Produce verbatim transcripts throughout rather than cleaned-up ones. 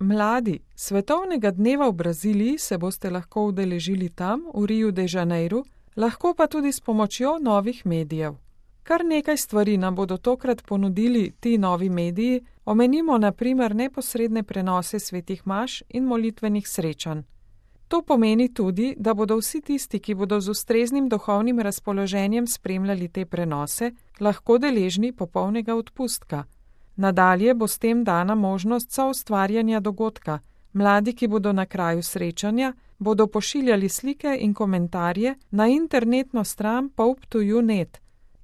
Mladi, svetovnega dneva v Braziliji se boste lahko udeležili tam, v Riu de Janeiru, lahko pa tudi s pomočjo novih medijev. Kar nekaj stvari nam bodo tokrat ponudili ti novi mediji, omenimo na primer neposredne prenose svetih maš in molitvenih srečanj. To pomeni tudi, da bodo vsi tisti, ki bodo z ustreznim duhovnim razpoloženjem spremljali te prenose, lahko deležni popolnega odpustka. Nadalje bo s tem dana možnost soustvarjanja dogodka. Mladi, ki bodo na kraju srečanja, bodo pošiljali slike in komentarje na internetno stran pope to you dot net.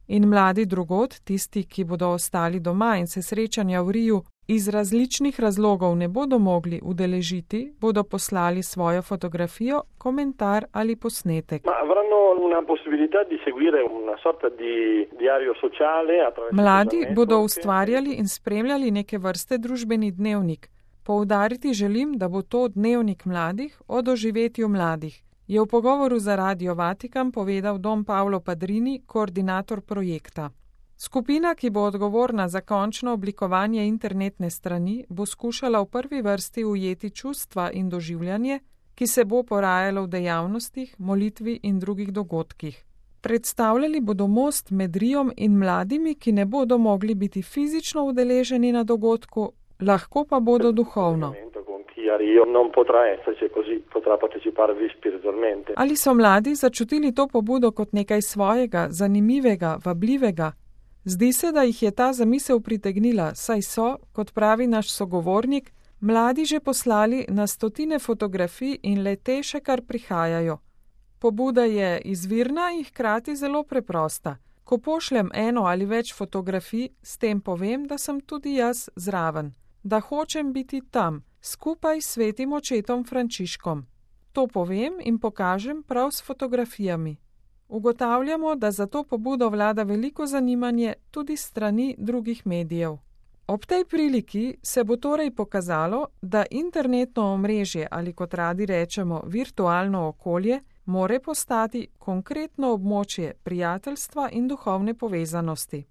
In mladi drugod, tisti, ki bodo ostali doma in se srečanja v Riju iz različnih razlogov ne bodo mogli udeležiti, bodo poslali svojo fotografijo, komentar ali posnetek. Mladi bodo ustvarjali in spremljali neke vrste družbeni dnevnik. Poudariti želim, da bo to dnevnik mladih o doživetju mladih, je v pogovoru za Radio Vatikan povedal Don Paolo Padrini, koordinator projekta. Skupina, ki bo odgovorna za končno oblikovanje internetne strani, bo skušala v prvi vrsti ujeti čustva in doživljanje, ki se bo porajalo v dejavnostih, molitvi in drugih dogodkih. Predstavljali bodo most med Rijom in mladimi, ki ne bodo mogli biti fizično udeleženi na dogodku, lahko pa bodo duhovno. Ali so mladi začutili to pobudo kot nekaj svojega, zanimivega, vabljivega? Zdi se, da jih je ta zamisel pritegnila, saj so, kot pravi naš sogovornik, mladi že poslali na stotine fotografij in le te še kar prihajajo. Pobuda je izvirna in hkrati zelo preprosta. Ko pošljem eno ali več fotografij, s tem povem, da sem tudi jaz zraven, da hočem biti tam, skupaj s svetim očetom Frančiškom. To povem in pokažem prav s fotografijami. Ugotavljamo, da za to pobudo vlada veliko zanimanje tudi strani drugih medijev. Ob tej priliki se bo torej pokazalo, da internetno omrežje ali kot radi rečemo virtualno okolje more postati konkretno območje prijateljstva in duhovne povezanosti.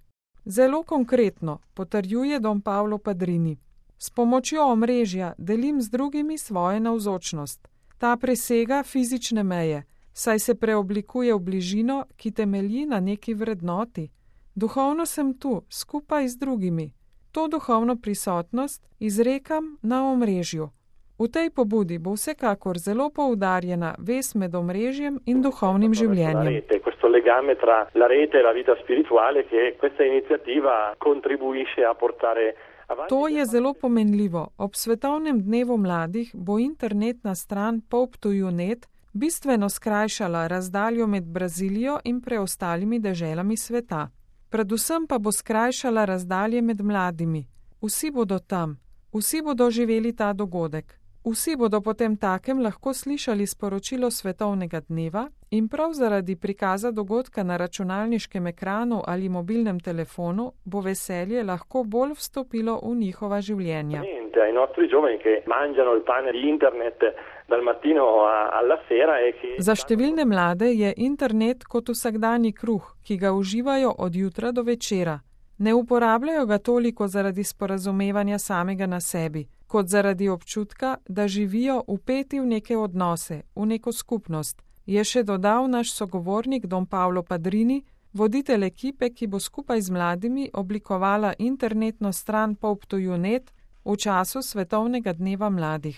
Zelo konkretno, potrjuje Don Paolo Padrini. S pomočjo omrežja delim z drugimi svojo navzočnost. Ta presega fizične meje, saj se preoblikuje v bližino, ki temelji na neki vrednoti. Duhovno sem tu, skupaj z drugimi. To duhovno prisotnost izrekam na omrežju. V tej pobudi bo vsekakor zelo poudarjena vez med omrežjem in duhovnim življenjem. To je zelo pomenljivo. Ob svetovnem dnevu mladih bo internetna stran pope to you dot net bistveno skrajšala razdaljo med Brazilijo in preostalimi deželami sveta. Predvsem pa bo skrajšala razdalje med mladimi. Vsi bodo tam, vsi bodo živeli ta dogodek. Vsi bodo potem takem lahko slišali sporočilo svetovnega dneva in prav zaradi prikaza dogodka na računalniškem ekranu ali mobilnem telefonu bo veselje lahko bolj vstopilo v njihova življenja. Za številne mlade je internet kot vsakdanji kruh, ki ga uživajo od jutra do večera. Ne uporabljajo ga toliko zaradi sporazumevanja samega na sebi, kot zaradi občutka, da živijo vpeti v neke odnose, v neko skupnost, je še dodal naš sogovornik Don Paolo Padrini, voditelj ekipe, ki bo skupaj z mladimi oblikovala internetno stran pope to you dot net v času svetovnega dneva mladih.